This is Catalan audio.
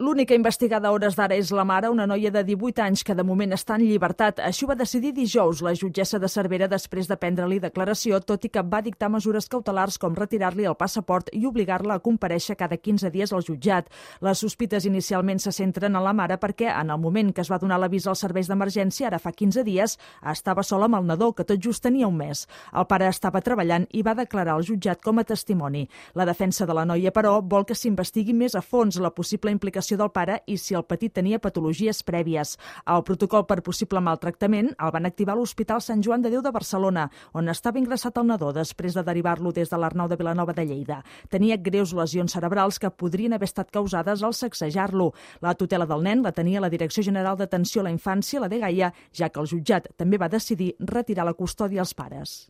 L'única investigada a hores d'ara és la mare, una noia de 18 anys que de moment està en llibertat. Així ho va decidir dijous la jutgessa de Cervera després de prendre-li declaració, tot i que va dictar mesures cautelars com retirar-li el passaport i obligar-la a comparèixer cada 15 dies al jutjat. Les sospites inicialment se centren en la mare perquè en el moment que es va donar l'avís als serveis d'emergència, ara fa 15 dies, estava sola amb el nadó, que tot just tenia un mes. El pare estava treballant i va declarar al jutjat com a testimoni. La defensa de la noia, però, vol que s'investigui més a fons la possible implicació del pare i si el petit tenia patologies prèvies. El protocol per possible maltractament el van activar a l'Hospital Sant Joan de Déu de Barcelona, on estava ingressat el nadó després de derivar-lo des de l'Arnau de Vilanova de Lleida. Tenia greus lesions cerebrals que podrien haver estat causades al sacsejar-lo. La tutela del nen la tenia la Direcció General d'Atenció a la Infància, la DGAIA, ja que el jutjat també va decidir retirar la custòdia als pares.